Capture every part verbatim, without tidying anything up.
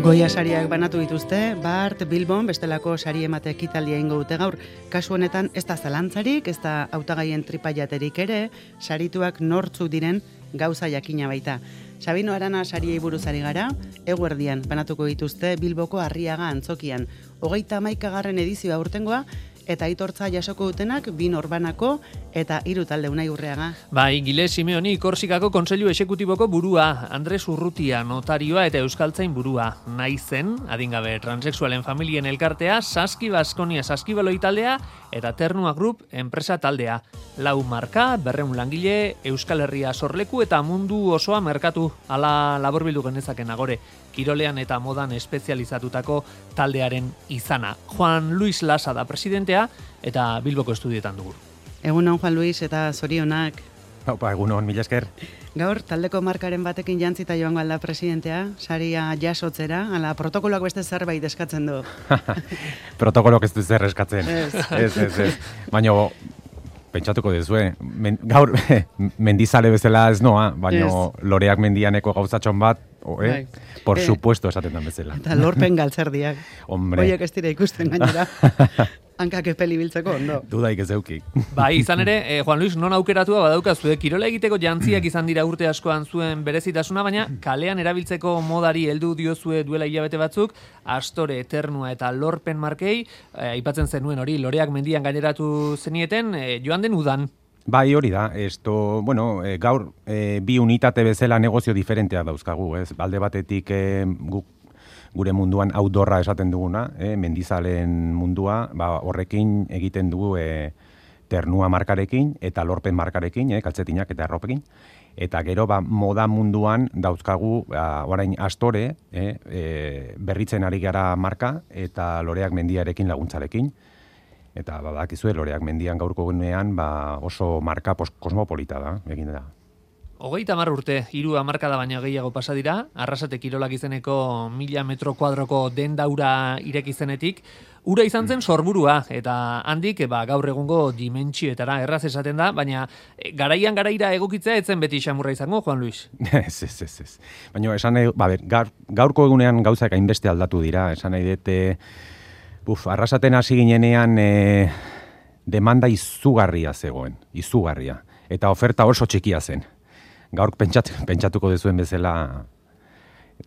Goia sariak banatu dituzte, Bart, Bilbon, bestelako sari emate ekitaldia ingo dute gaur. Kasu honetan, ez da zalantzarik, ez da hautagaien tripaiaterik ere, sarituak nortzuk diren gauza jakina baita. Sabino Arana sariei buruzari gara, eguerdian banatuko dituzte Bilboko Arriaga antzokian. Hogeita hamaikagarren edizioa urtengoa, eta aitortza jasoko dutenak bi norbanako eta hiru talde Unai Urreaga. Bai, Gile Simeoni Korsikako Kontseilu Exekutiboko burua, Andres Urrutia notarioa eta Euskaltzain burua. Naizen, adingabe transexualen familien elkartea, Saski Baskonia Saskibaloi taldea eta Ternua Group enpresa taldea. Lau marka, berrehun langile, Euskal Herria sorleku eta mundu osoa merkatu, ala laburbildu genezaken agore. Kirolean eta modan espezializatutako taldearen izana. Juan Luis Lasa da presidentea eta Bilboko estudietan dugu. Egunon Juan Luis eta zorionak. Opa, egunon, mila esker. Gaur, taldeko markaren batekin jantzita joango alda presidentea, saria jasotzera, ala protokoloak beste zerbait eskatzen du. Protokoloak ez du zer eskatzen. Ez, ez, ez. ez. Baina, pentsatuko dezue, men, gaur mendizale bezala ez noa, baina yes. Loreak mendianeko gauzatxon bat, o, eh? Por eh, supuesto esaten dan bezala. Eta lorpen galtzerdiak. Hombre. Oiek ez dira ikusten gainera. Hankak epeli biltzeko, ondo. Dudaik ez euki. Bai, izan ere, eh, Juan Luis, non aukeratua badaukazu, kirola egiteko jantziak izan dira urte askoan zuen berezitasuna, baina kalean erabiltzeko modari heldu diozue duela hilabete batzuk, Astore, Eternua eta Lorpen markei, eh, aipatzen zenuen hori, Loreak mendian gaineratu zenieten, eh, joan den udan. Bai, hori da, esto, bueno, e, gaur e, bi unitate bezala negozio diferentea dauzkagu, ez? Alde batetik e, guk gure munduan outdoorra esaten duguna, e, mendizalen mundua, ba, horrekin egiten dugu e, Ternua markarekin eta Lorpen markarekin, e, kaltzetinak eta erropekin. Eta gero ba, moda munduan dauzkagu, ba, orain Astore, e, e, berritzen ari gara marka eta Loreak mendiarekin laguntzarekin. Eta badakizue Loreak mendian gaurko gunean ba, oso marka kosmopolita da, egin da. Hogeita hamar urte, hiru hamarkada baina gehiago pasa dira, Arrasate Kirolak izeneko mila metro kuadroko dendaura ireki zenetik, ura izan zen sorburua, eta handik ba, gaur egungo dimentsioetara erraz esaten da, baina garaian garaira egokitzea etzen beti xamurra izango, Juan Luis. Ez, ez, ez, ez. Baina esan nahi, ba, ber, gaur, gaurko egunean gauzak hainbeste aldatu dira, esan nahi dute, buf, Arrasaten hasi ginenean e, demanda izugarria zegoen, izugarria, eta oferta oso txikia zen. Gaur pentsat, pentsatuko dezuen bezala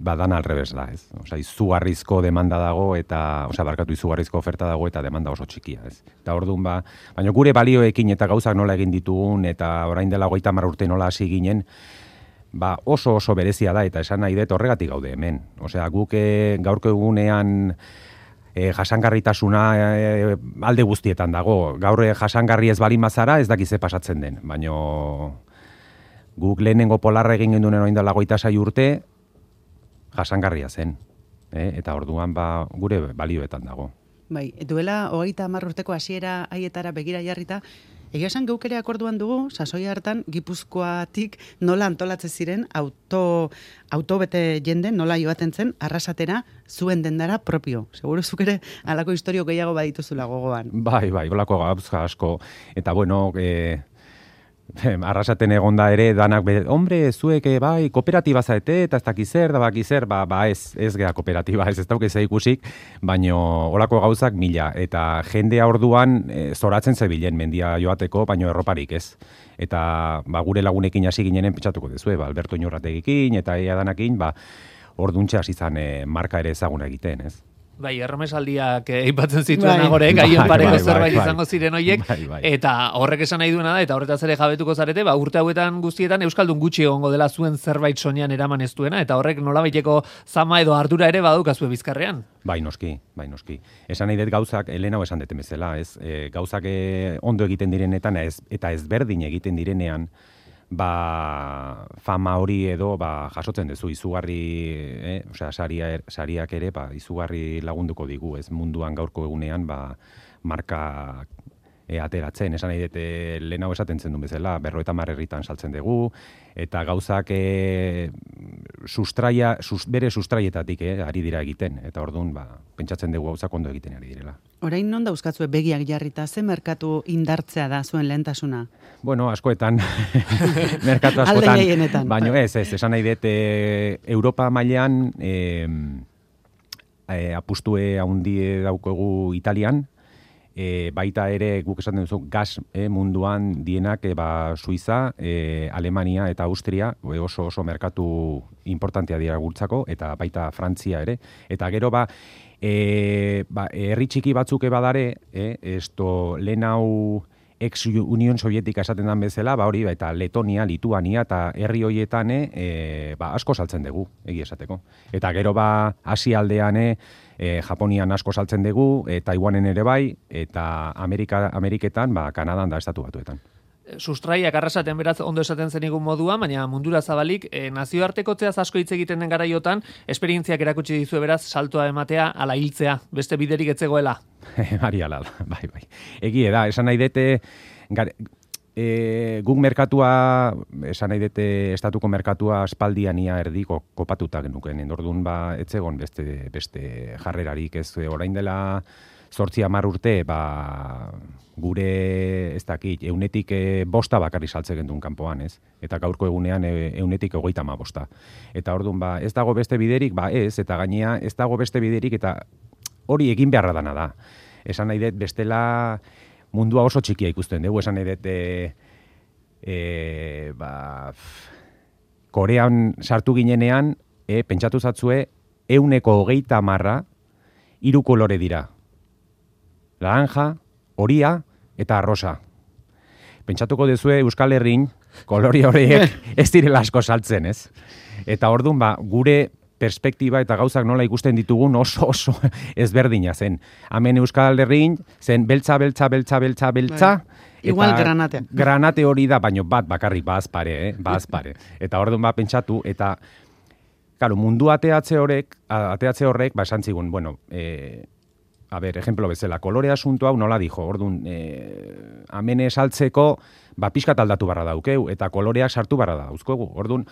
badan alrebes da, ez? Osea, izugarrizko demanda dago eta, osea, barkatu izugarrizko oferta dago eta demanda oso txikia, ez? Eta orduan ba, baina gure balioekin eta gauzak nola egin ditugun eta orain dela hogeita hamar urte nola hasi ginen, ba oso oso berezia da eta esan nahi dut horregatik gaude hemen. Osea, guk e, gaurko egunean E, jasangarritasuna e, alde guztietan dago. Gaur e, jasangarri ez balin bazara ez dakize pasatzen den. Baina guk lehenengo polarra egin gendunen orain dela hogeita sei urte jasangarria zen. E, eta orduan ba, gure balioetan dago. Bai, duela hogeita hamar urteko hasiera haietara begira jarrita, egia esan geukere akorduan dugu, sasoi hartan Gipuzkoatik nola antolatzen ziren auto, autobete jende, nola joaten zen, Arrasatera zuen dendara propio. Seguro zuk ere halako historio gehiago badituzula gogoan. Bai, bai, holako gauza asko. Eta bueno, e, Arrasaten egonda ere danak, be, hombre, zuek bai, kooperatiba zaete eta ez dakiz zer, da baki zer, ba, ba ez, ez gea kooperatiba, ez ez dauk ez ikusik, baino holako gauzak mila. Eta jendea orduan e, zoratzen zebilen mendia joateko, baino erroparik ez. Eta ba, gure lagunekin hasi ginenen pentsatuko dezue, ba, Alberto Iñorrategikin eta ea danakin, ba, orduntxe hasi zan e, marka ere ezaguna egiten, ez. Bai, erromesaldiak aipatzen zituen agore, gaien pareko zerbait bai, izango ziren hoiek, bai, bai. eta horrek esan nahi duena da, eta horretaz ere jabetuko zarete, ba, urte hauetan guztietan Euskaldun gutxi egongo dela zuen zerbait soinean eraman ez duena, eta horrek nolabaiteko zama edo ardura ere badukazue Bizkarrean. Bai, noski, bai, noski. Esan nahi dut gauzak, Elena esan deten bezala, ez, e, gauzak e, ondo egiten direnetan ez, eta ezberdin egiten direnean, ba, fama hori edo ba, jasotzen duzu izugarri, eh? Osea, saria, sariak ere ba, izugarri lagunduko digu, ez munduan gaurko egunean ba, marka e, ateratzen, esan nahi dute lehenago esaten zen duen bezala, berrogeita hamar herritan saltzen dugu, eta gauzak e, sustraia, sus, bere sustraietatik eh, ari dira egiten, eta orduan ba, pentsatzen dugu gauzak ondo egiten ari direla. Orain non dauzkatzue begiak jarrita, ze merkatu indartzea da zuen lehentasuna? Bueno, askoetan, merkatu askotan, baina ez, ez, esan nahi dut, e, Europa mailean, e, e, apustue handie daukogu Italian, e, baita ere guk esaten duzu gas e, munduan dienak e, ba, Suiza, e, Alemania eta Austria e, oso oso merkatu importantea dira gurtzako, eta baita Frantzia ere. Eta gero ba, e, ba herri txiki batzuk badare, e, esto lehen hau ex Unión Sovietika esaten dan bezala, ba hori, eta Letonia, Lituania eta herri hoietan e, ba, asko saltzen dugu, egi esateko. Eta gero ba Asia aldean e, Japonian asko saltzen dugu, e, Taiwanen ere bai, eta Amerika, Ameriketan, ba, Kanadan da estatu batuetan. Sustraiak arrasaten beraz ondo esaten zenigun modua, baina mundura zabalik, e, nazioartekotzeaz asko hitz egiten den garaiotan, esperientziak erakutsi dizue beraz, saltoa ematea, ala hiltzea, beste biderik etzegoela. Ari ala da, bai, bai. Egie da, esan nahi dute, gare, e, guk merkatua, esan nahi dute, estatuko merkatua aspaldian ia erdiko kopatuta genuken, endordun ba, etzegon beste, beste jarrerarik, ez orain dela zortzi hamar urte, ba, gure, ez dakit, eunetik e, bosta bakarri saltze gendun kanpoan, ez? Eta gaurko egunean e, eunetik egoita ma bosta. Eta orduan, ba, ez dago beste biderik, ba ez, eta gainea ez dago beste biderik, eta hori egin beharra dana da. Esan nahi dut, bestela mundua oso txikia ikusten dugu, esan nahi dut, e, e, ba, Korean sartu ginenean, e, pentsatu zatzue, euneko hogeita marra, hiru kolore dira. Laranja, horia eta arrosa. Pentsatuko dezue Euskal Herrin, kolori horiek ez direla asko saltzen, ez? Eta orduan, ba, gure perspektiba eta gauzak nola ikusten ditugun oso oso ezberdina zen. Hemen Euskal Herrin zen beltza, beltza, beltza, beltza, beltza. Igual granate. Granate hori da, baino bat bakarrik bazpare, eh? Bazpare. Eta orduan ba pentsatu, eta claro, mundu ateatze horrek, ateatze horrek, ba esan zigun, bueno, eh, a ber, ejemplo bezala, kolore asunto hau nola dijo, orduan, eh, amene saltzeko, ba, pixkat aldatu barra daukeu, eta koloreak sartu barra dauzkogu. Orduan,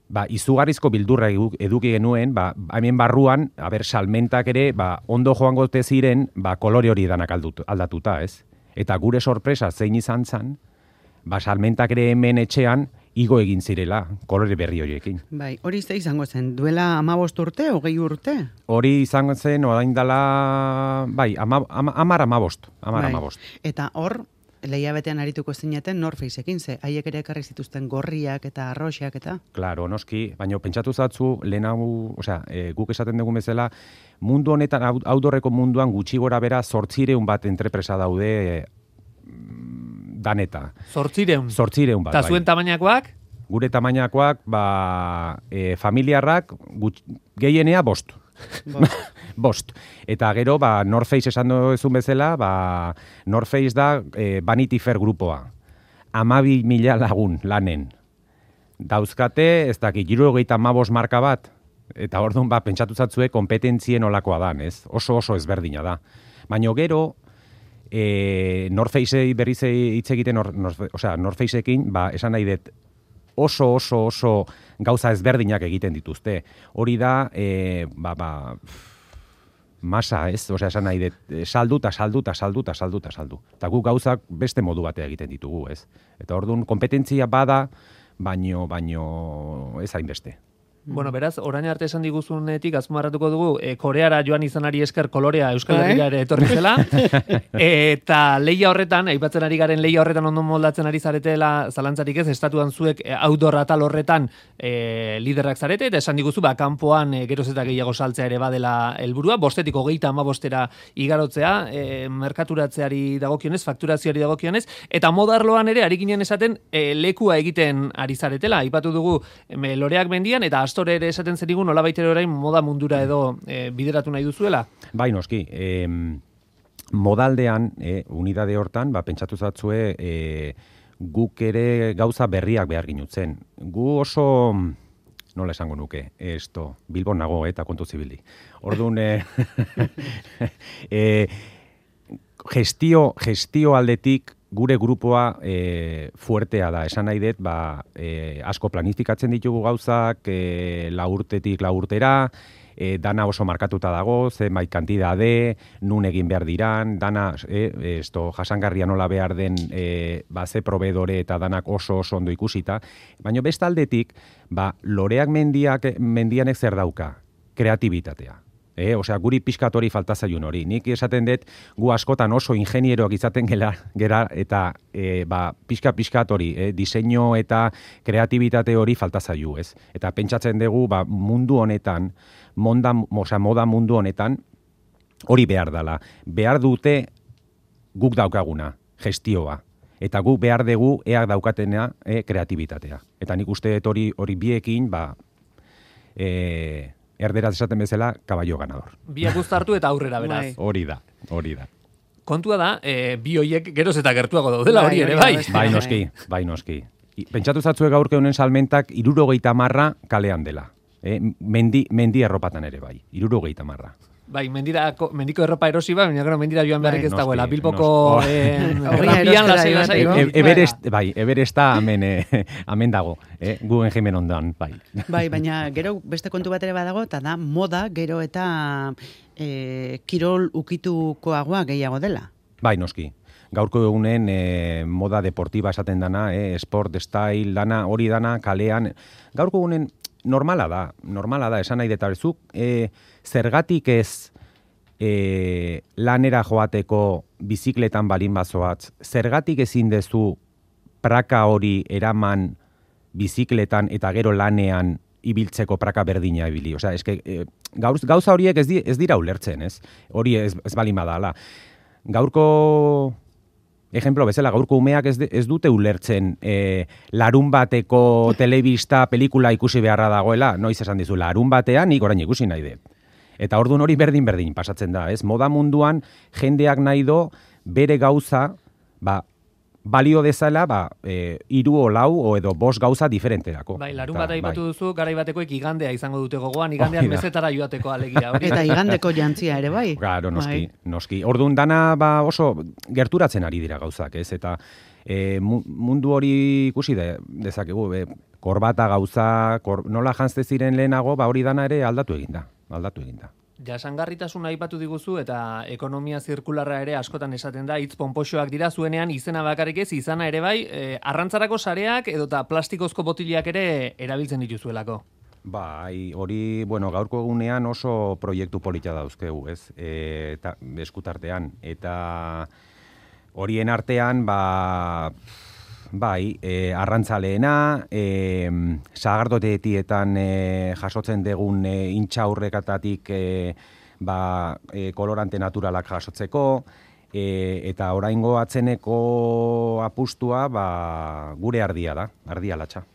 ba, izugarrizko bildurra eduki genuen, ba, hemen barruan, a ber, salmentak ere, ba, ondo joango te ziren, ba, kolore hori danak aldut, aldatuta, ez? Eta gure sorpresa zein izan zan, ba, salmentak ere hemen etxean, igo egin zirela, kolore berri horiekin. Bai, hori ze izango zen, duela hamabost urte, hogei urte? Hori izango zen, orain dela, bai, ama, ama, amar amabost, amar bai. amabost. Eta hor, lehiabetean arituko zineten North Faceekin, ze haiek ere ekarri zituzten gorriak eta arroxak eta? Claro, noski, baina pentsatu zatzu, lehen hau, osea, e, guk esaten dugun bezala, mundu honetan, outdoorreko munduan gutxi gora bera zortzireun bat entrepresa daude, e, daneta. Zortzireun. Zortzireun bat. Eta zuen tamainakoak? Gure tamainakoak, ba, e, familiarrak, gut, gehienea bost. Bost. Bost. Eta gero, ba, North Face esan duzun bezala, ba, North Face da e, Vanity Fair grupoa. Amabi mila lagun lanen. Dauzkate, ez dakit, hiru hogeita hamabost marka bat, eta orduan, ba, pentsatu zatzue, kompetentzien olakoa da, ez? Oso oso ezberdina da. Baina gero, E, North Facei berriz hitz egiten, or, North, osea, North Faceekin, ba, esan nahi dut, oso, oso, oso gauza ezberdinak egiten dituzte. Hori da, e, ba, ba, masa, ez? Osea, esan nahi dut, saldu, eta saldu, eta saldu, eta saldu, eta saldu. Eta guk gauzak beste modu batea egiten ditugu, ez? Eta orduan, kompetentzia bada, baino, baino, ez hainbeste. Bueno, beraz, orain arte esan diguzunetik azmarratuko dugu, e, Koreara joan izanari esker kolorea Euskal Herria ere etorri zela, eta leia horretan, aipatzen ari garen leia horretan ondo moldatzen ari zaretela, zalantzarik ez, estatuan zuek e, outdoor atal horretan e, liderrak zarete, eta esan diguzu, ba, kanpoan e, geroz eta gehiago saltzea ere badela helburua, bostetik hogeita hamabostera igarotzea, e, merkaturatzeari dagokionez, fakturazioari dagokionez, eta modarloan ere, ari ginen esaten, e, lekua egiten ari zaretela, aipatu dugu e, loreak mendian, eta Astore ere esaten zenigun, nola baitere orain moda mundura edo e, bideratu nahi duzuela? Bai, noski. E, modaldean, e, unidade hortan, ba, pentsatu zatzue, e, guk ere gauza berriak behar ginutzen. Gu oso, nola esango nuke, esto, Bilbon nago, eta kontu zibili. Orduan, e, e, gestio, gestio aldetik, gure grupoa e, fuertea da, esan nahi dut, ba, e, asko planifikatzen ditugu gauzak, e, laurtetik laurtera, e, dana oso markatuta dago, zenbait kantidade, nun egin behar diran, dana, e, esto, jasangarria nola behar den, e, ba, ze probedore eta danak oso oso ondo ikusita, baina bestaldetik, ba, loreak mendiak, mendianek zer dauka? Kreatibitatea. E, osea, guri pixkat hori falta zaiun hori. Nik esaten dut, gu askotan oso ingenieroak izaten gela, gera, eta e, ba, pixka-pixkat hori, e, diseinu eta kreatibitate hori falta zaiu, ez? Eta pentsatzen dugu, ba, mundu honetan, monda, osea, moda mundu honetan, hori behar dela. Behar dute guk daukaguna, gestioa. Eta guk behar dugu eak daukatena e, kreatibitatea. Eta nik uste dut hori, hori biekin, ba, e, erderaz esaten bezala, kaballo ganador. Biak uztartu eta aurrera beraz. Hori da, hori da. Kontua da, e, bi hoiek geroz eta gertuago daudela hori ere, bai? Bai, noski, bai, noski. Pentsatu zatzue gaurke honen salmentak irurogeita marra kalean dela. Eh? Mendi, mendi erropatan ere bai, irurogeita marra. Bai, mendirako, mendiko erropa erosi bai, baina gero mendira joan beharrik ez dagoela. Bilboko nos, eh, errapian lasai lasai. Everest, bai, Everesta hemen, eh, hemen dago, eh? Guen jimen ondan, bai. Bai, baina gero beste kontu bat ere badago, eta da moda gero eta eh, kirol ukitukoagoa gehiago dela. Bai, noski. Gaurko egunen eh, moda deportiba esaten dana, eh, sport, style, dana, hori dana, kalean. Gaurko egunen normala da, normala da, esan nahi detabezuk, eh, zergatik ez e, lanera joateko bizikletan balin bazoatz, zergatik ezin dezu praka hori eraman bizikletan eta gero lanean ibiltzeko praka berdina ibili. Osea, eske, e, gauz, gauza horiek ez, di, ez dira ulertzen, ez? Hori ez, ez balin badala. Gaurko ejemplo bezala, gaurko umeak ez, de, ez dute ulertzen e, larun bateko telebista pelikula ikusi beharra dagoela, noiz esan dizu, larun batean nik orain ikusi nahi dut. Eta orduan hori berdin-berdin pasatzen da, ez? Moda munduan jendeak nahi do bere gauza, ba, balio dezala, ba, e, iru o lau o edo bost gauza diferenterako. Bai, larun bat aipatu bai. Duzu, garai batekoek igandea izango dute gogoan, igandean mezetara joateko alegia. Hori. Eta igandeko jantzia ere, bai? Claro, noski, bai. noski. Orduan dana ba, oso gerturatzen ari dira gauzak, ez? Eta e, mundu hori ikusi de, dezakegu, be, korbata gauza, kor, nola jantzte ziren lehenago, ba hori dana ere aldatu eginda. aldatu eginda. Jasangarritasuna aipatu diguzu eta ekonomia zirkularra ere askotan esaten da, hitz ponpoxoak dira zuenean izena bakarrik ez, izana ere bai, e, arrantzarako sareak edota plastikozko botiliak ere erabiltzen dituzuelako. Bai, hori, bueno, gaurko egunean oso proiektu polita dauzkegu, ez? E, eta eskutartean, eta horien artean, ba... Bai, e, arrantzaleena, e, sagardotetietan e, jasotzen degun e, intxaurrekatatik e, ba, e, kolorante naturalak jasotzeko, e, eta oraingo atzeneko apustua ba, gure ardia da, ardia latxa.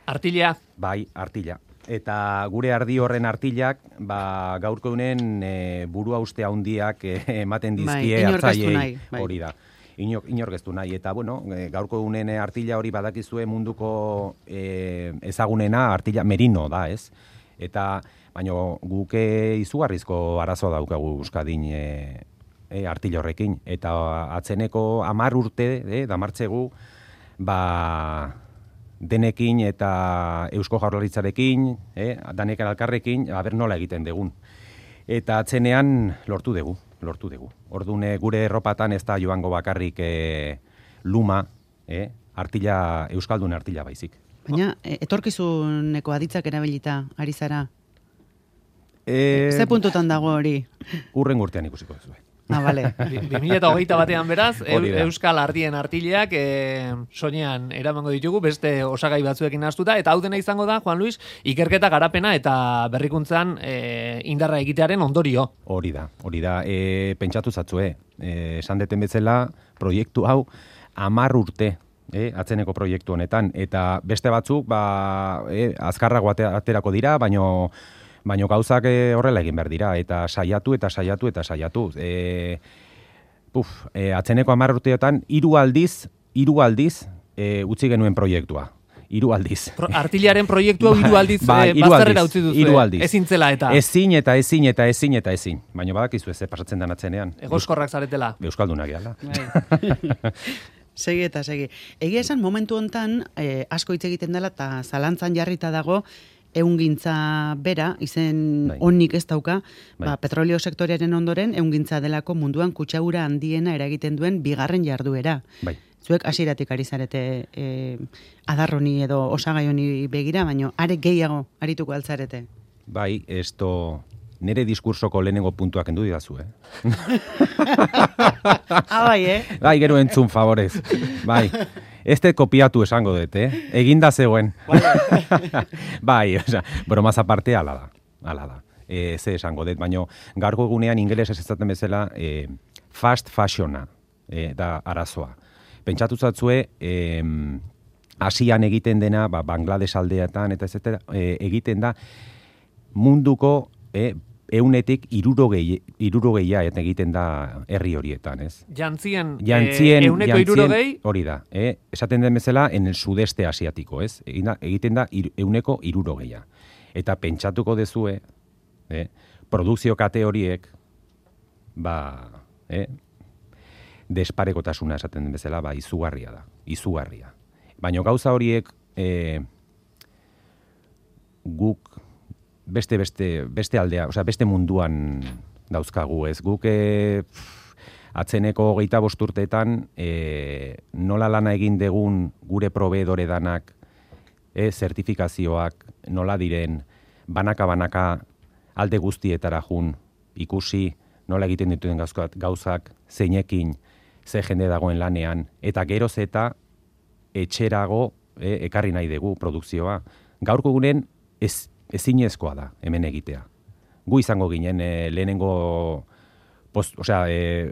Artila? Bai, artila. Eta gure ardi horren artilak ba, gaurko egunen e, burua uste handiak e, ematen dizkie hartzaileei, hori da. Inor, inorgeztu nahi, eta bueno, gaurko egunen artila hori badakizue munduko e, ezagunena artila merino da, ez? Eta, baina guke izugarrizko arazoa daukagu Euskadin e, e, artila horrekin. Eta atzeneko hamar urte, e, damartzegu, ba, denekin eta Eusko Jaurlaritzarekin, e, danek alkarrekin, aber nola egiten degun. Eta atzenean lortu dugu. lortu dugu. Ordune gure erropatan ez da joango bakarrik e, luma, e, artila, euskaldun artila baizik. Baina, etorkizuneko aditzak erabilita, ari zara? E, Ze puntutan dago hori? Urren urtean ikusiko duzu. Ah, bale. bi mila hogeita batean beraz, Euskal Ardien artileak e, soinean eramango ditugu, beste osagai batzuekin nahaztuta, eta hau dena izango da, Juan Luis, ikerketa garapena eta berrikuntzan e, indarra egitearen ondorio. Hori da, hori da, e, pentsatu zatzue, e, esan deten bezala, proiektu hau, hamar urte, e, atzeneko proiektu honetan, eta beste batzuk, ba, e, azkarrago aterako dira, baino Baina gauzak horrela egin behar dira, eta saiatu, eta saiatu, eta saiatu. E, puf, e, atzeneko hamar urteotan, hiru aldiz, hiru aldiz, e, utzi genuen proiektua. Hiru aldiz. Pro, artiliaren proiektua hiru aldiz ba, e, bazterrera utzi duzu. Hiru aldiz. Ezin zela eta. Ezin eta ezin eta ezin eta ezin. Baina badakizu ez, pasatzen den atzenean. Egoskorrak zaretela. Euskaldunak gehala. Segi eta segi. Egia esan momentu hontan eh, asko hitz egiten dela eta zalantzan jarrita dago ehungintza bera, izen bai. Onik ez dauka, bai. Ba, petrolio sektorearen ondoren ehungintza delako munduan kutsadura handiena eragiten duen bigarren jarduera. Bai. Zuek hasieratik ari zarete e, adarroni edo osagai honi begira, baino are gehiago arituko altzarete. Bai, esto nire diskursoko lehenengo puntuak endu didazu, eh? Ah, bai, eh? Bai, gero entzun, favorez. Bai, ez te kopiatu esango dut, eh? Eginda zegoen. Bai, oza, bromaz aparte, ala da, ala da. E, ze esango dut, baina gaurko egunean ingeles ez ezaten bezala e, fast fashiona e, da arazoa. Pentsatu zatzue, e, Asian egiten dena, ba, Bangladesh aldeetan, eta ez e, egiten da munduko e, eunetik irurogei, irurogeia eta egiten da herri horietan, ez? Jantzien, jantzien e, euneko irurogei? Hori da, e, esaten den bezala en el sudeste asiatiko, ez? Egiten da ir, euneko irurogeia. Eta pentsatuko dezue, eh, produkzio kate horiek, ba, eh, desparekotasuna esaten den bezala, ba, izugarria da, izugarria. Baina gauza horiek eh, guk beste, beste, beste aldea, osea, beste munduan dauzkagu, ez? Guk eh, atzeneko hogeita bost urteetan eh, nola lana egin degun gure proveedore danak, eh, zertifikazioak, nola diren, banaka-banaka alde guztietara jun, ikusi nola egiten dituen gauzak, gauzak zeinekin, ze jende dagoen lanean, eta geroz eta etxerago e, ekarri nahi dugu produkzioa. Gaurko gunen ez, ezinezkoa da hemen egitea. Gu izango ginen e, lehenengo, post, osea, e,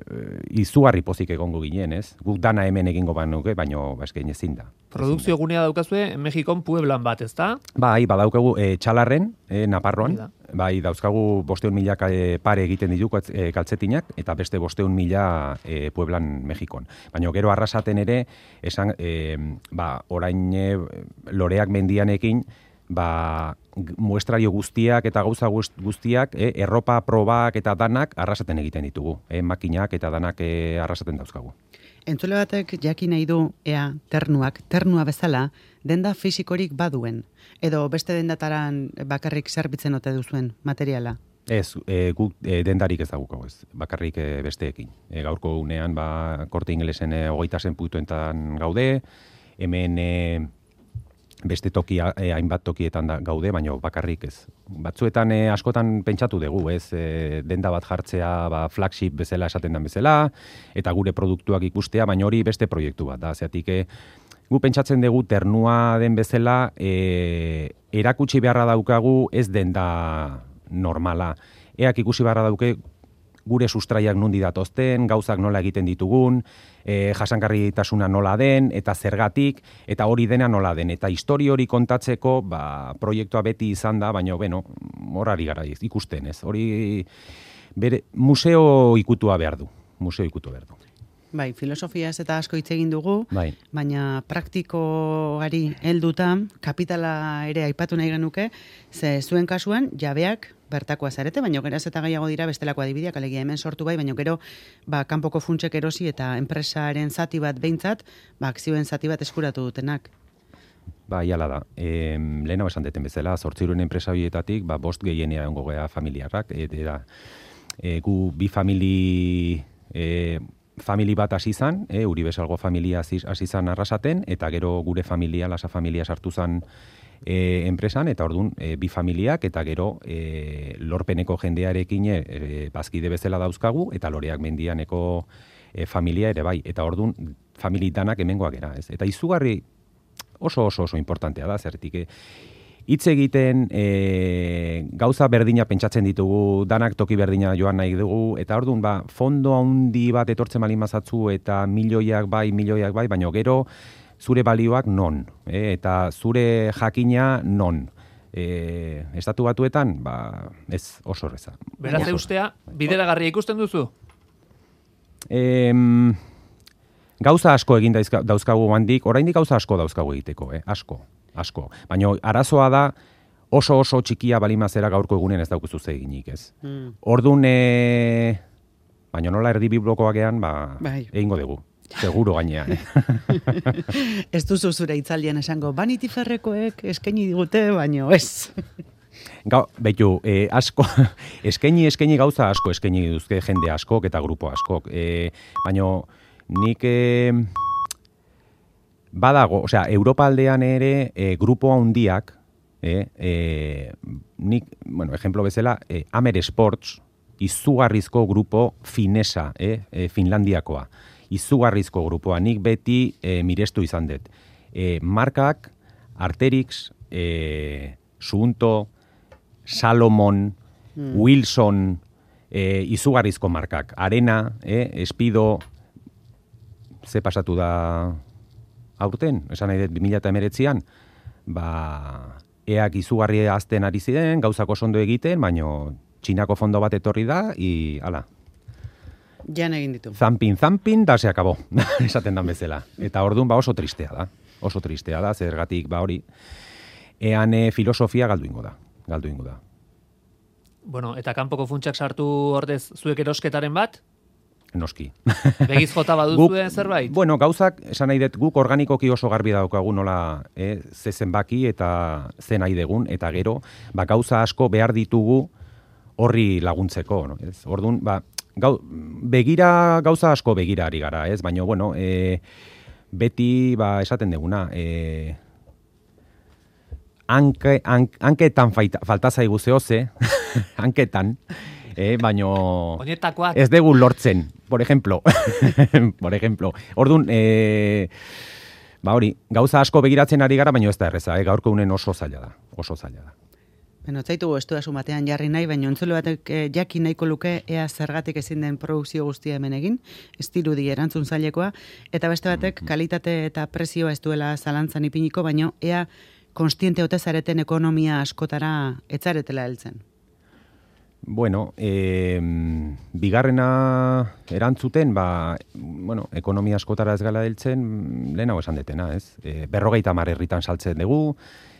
izugarri pozik egongo ginen, ez? Guk dana hemen egingo banuke, baino eskein ezin da. Produkzio gunea daukazue Mexikon Pueblan bat, ez da? Bai, badaukagu e, Txalarren, e, Naparroan, bai, dauzkagu bosteun mila e, pare egiten dituko e, kaltzetinak, eta beste bosteun mila e, Pueblan, Mexikon. Baina gero arrasaten ere, esan, e, ba, orain e, loreak mendianekin, ba, muestrario guztiak eta gauza guztiak, e, erropa probak eta danak arrasaten egiten ditugu. E, makinak eta danak e, arrasaten dauzkagu. Entzule batek jakin nahi du, ea, ternuak, ternua bezala, denda fisikorik baduen, edo beste dendataran bakarrik zerbitzen ote duzuen materiala? Ez, e, guk e, dendarik ez daukau ez, bakarrik e, besteekin. E, gaurko unean, ba, korte ingelesen e, hogeita zen putuentan gaude, hemen e, beste toki, e, hainbat tokietan da, gaude, baina bakarrik ez. Batzuetan e, askotan pentsatu dugu, ez, e, denda bat jartzea, ba, flagship bezala esaten den bezala, eta gure produktuak ikustea, baina hori beste proiektu bat da, zeatik, e, gu pentsatzen dugu ternua den bezala, e, erakutsi beharra daukagu ez denda normala. Eak ikusi beharra dauke gure sustraiak nundi datozten, gauzak nola egiten ditugun, e, jasangarritasuna nola den, eta zergatik, eta hori dena nola den. Eta histori hori kontatzeko, ba, proiektua beti izan da, baina, bueno, horari gara ikusten, ez. Hori, bere, museo ikutua behar du, museo ikutu behar du. Bai, filosofiaz eta asko hitz egin dugu, bai. Baina praktikoari helduta kapitala ere aipatu nahi genuke, ze zuen kasuan jabeak bertakoa zarete, baina geraz eta gehiago dira bestelako adibideak, alegia hemen sortu bai, baina gero ba, kanpoko funtsek erosi eta enpresaren zati bat behintzat, ba, akzioen zati bat eskuratu dutenak. Ba, iala da. E, Lehenago esan deten bezala, zortziruren enpresa horietatik, ba, bost gehienea ongo gea familiarrak, eta e, gu bi famili... E, famili bat hasi zan, e, Uribesalgo familia hasi zan arrasaten, eta gero gure familia, lasa familia sartu zan e, enpresan, eta orduan e, bi familiak, eta gero e, lorpeneko jendearekin e, bazkide bezala dauzkagu, eta loreak mendianeko e, familia ere bai, eta orduan familitanak hemengoak era, ez? Eta izugarri oso oso oso importantea da, zertik, e, hitz egiten e, gauza berdina pentsatzen ditugu, danak toki berdina joan nahi dugu, eta orduan ba, fondo handi bat etortzen bali mazatzu, eta milioiak bai, milioiak bai, baina gero zure balioak non, e, eta zure jakina non. E, estatu batuetan, ba, ez oso horreza. Beraz eustea, bideragarria ikusten duzu? E, gauza asko egin dauzkagu handik, oraindik gauza asko dauzkagu egiteko, eh? asko. asko. Baina arazoa da oso oso txikia balimazera gaurko egunen ez daukuzu eginik, ez. Mm. Orduan, e... baina nola erdi biblokoakean, ba, bai. Egingo dugu. Seguro gainean. Ez duzu zure itzaldian esango, Vanity Fairrekoek eskaini digute, baino ez. Gau, behitu, e, asko, eskaini, eskaini gauza asko, eskaini duzke jende askok eta grupo askok. E, baina nik... E, Badago, osea, Europa aldean ere e, grupo handiak E, e, nik, bueno, ejemplo bezala, e, Amer Sports, izugarrizko grupo finesa, e, e, Finlandiakoa. Izugarrizko grupoa, nik beti e, mirestu izan dut. E, markak, Arterix, e, Suunto, Salomon, mm. Wilson, e, izugarrizko markak. Arena, e, Espido, ze pasatu da aurten, esan nahi dut, bi mila hemeretzian, ba, eak izugarri azten ari ziren, gauzako oso ondo egiten, baino Txinako fondo bat etorri da, i, ala. Jan egin ditu. Zampin, zampin, da se akabo, esaten dan bezala. Eta orduan, ba, oso tristea da. Oso tristea da, zergatik, ba, hori, ean e, filosofia galdu ingo da. Galdu ingo da. Bueno, eta kanpoko funtsak sartu ordez zuek erosketaren bat? Noski. Begiz jota baduzuen zerbait? Bueno, gauzak, esan nahi dut, guk organikoki oso garbi daukagu nola eh, ze zenbaki eta ze nahi degun, eta gero, ba, gauza asko behar ditugu horri laguntzeko. No? Ez? Orduan, ba, gau, begira, gauza asko begira ari gara, ez? Baina, bueno, e, beti, ba, esaten deguna, e, hanke, hank, hanketan falta zaigu zehoze, hanketan, eh, baino Oinetakoak. Ez dugu lortzen, por ejemplo. por ejemplo. Orduan, eh, ba hori, gauza asko begiratzen ari gara, baino ez da erreza, eh, gaurko unen oso zaila da, oso zaila da. Beno, zaitu estu da batean jarri nahi, baina entzule batek eh, jakin nahiko luke ea zergatik ezin den produkzio guztia hemen egin, ez dirudi erantzun zailekoa, eta beste batek kalitate eta prezioa ez duela zalantzan ipiniko, baino ea konstiente ote zareten ekonomia askotara etzaretela heltzen. Bueno, eh, bigarrena erantzuten, ba, bueno, ekonomia askotara ez gala heltzen, lehenago esan detena, ez? E, berrogeita hamar herritan saltzen dugu,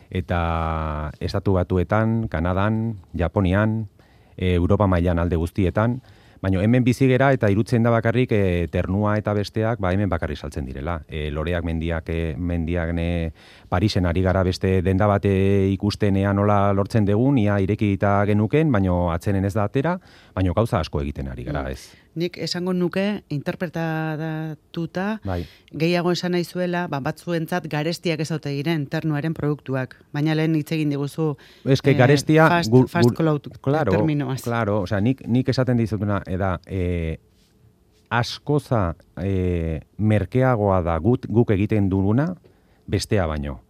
eta Estatu Batuetan, Kanadan, Japonian, e, Europa mailan alde guztietan, baina hemen bizi gera eta irutzen da bakarrik e, ternua eta besteak ba hemen bakarrik saltzen direla. E, loreak mendiak, e, mendiak ne, Parisen ari gara beste denda bate ikustenean nola lortzen dugun, ia irekita genuken, baina atzenen ez da atera, baina gauza asko egiten ari gara, ez. Nik esango nuke, interpretatuta, bai. Gehiago esan nahi zuela, ba, batzuentzat garestiak ez haute diren ternuaren produktuak. Baina lehen hitz egin diguzu es que garestia, eh, fast, gu, fast gu, cloud claro, terminoaz. Claro, o sea, nik, nik esaten dizutuna, eda, e, askoza e, merkeagoa da gut, guk egiten duguna, bestea baino.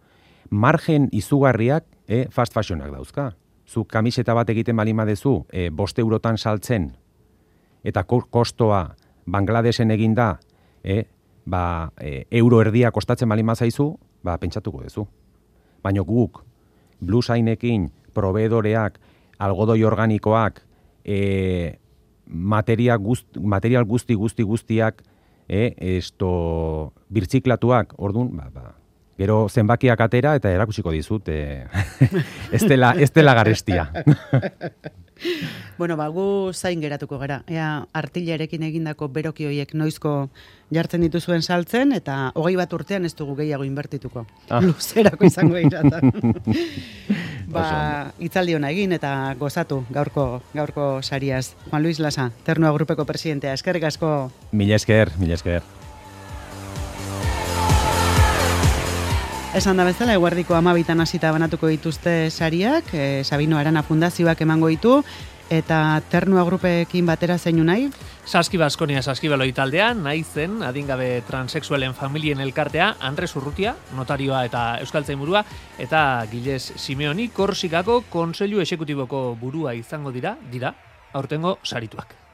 Margen izugarriak e, fast fashionak dauzka. Zuk kamiseta bat egiten balin badezu, e, bost eurotan saltzen, eta kostoa Bangladesen eginda, e, ba, e, euro erdia kostatzen balin bazaizu, ba, pentsatuko duzu. Baina guk, blusainekin, proveedoreak, algodoi organikoak, e, materia guzt, material guzti guzti guztiak, e, esto, birtziklatuak, orduan, ba, ba, gero zenbakiak atera eta erakutsiko dizut, e, ez dela, ez dela garestia. Bueno, ba, gu zain geratuko gara. Ea artillarekin egindako beroki hoiek noizko jartzen dituzuen saltzen, eta hogei bat urtean ez dugu gehiago inbertituko. Ah. Luzerako izango iratan. Ba, itzaldi hona egin eta gozatu gaurko gaurko sariaz. Juan Luis Lasa, Ternua Grupeko presidentea. Eskerrik asko. Mila esker, mila esker. Esan da bezala, eguerdiko amabitan hasita banatuko dituzte sariak, e, Sabino Arana Fundazioak emango ditu, eta Ternua Grupekin batera zeinu nahi? Saski Baskonia Saskibeloi taldean, nahi zen, adingabe transexualen familien elkartea, Andres Urrutia, notarioa eta euskaltzainburua, eta Gilles Simeoni, Korsikako Kontseilu Exekutiboko burua izango dira, dira, aurtengo sarituak.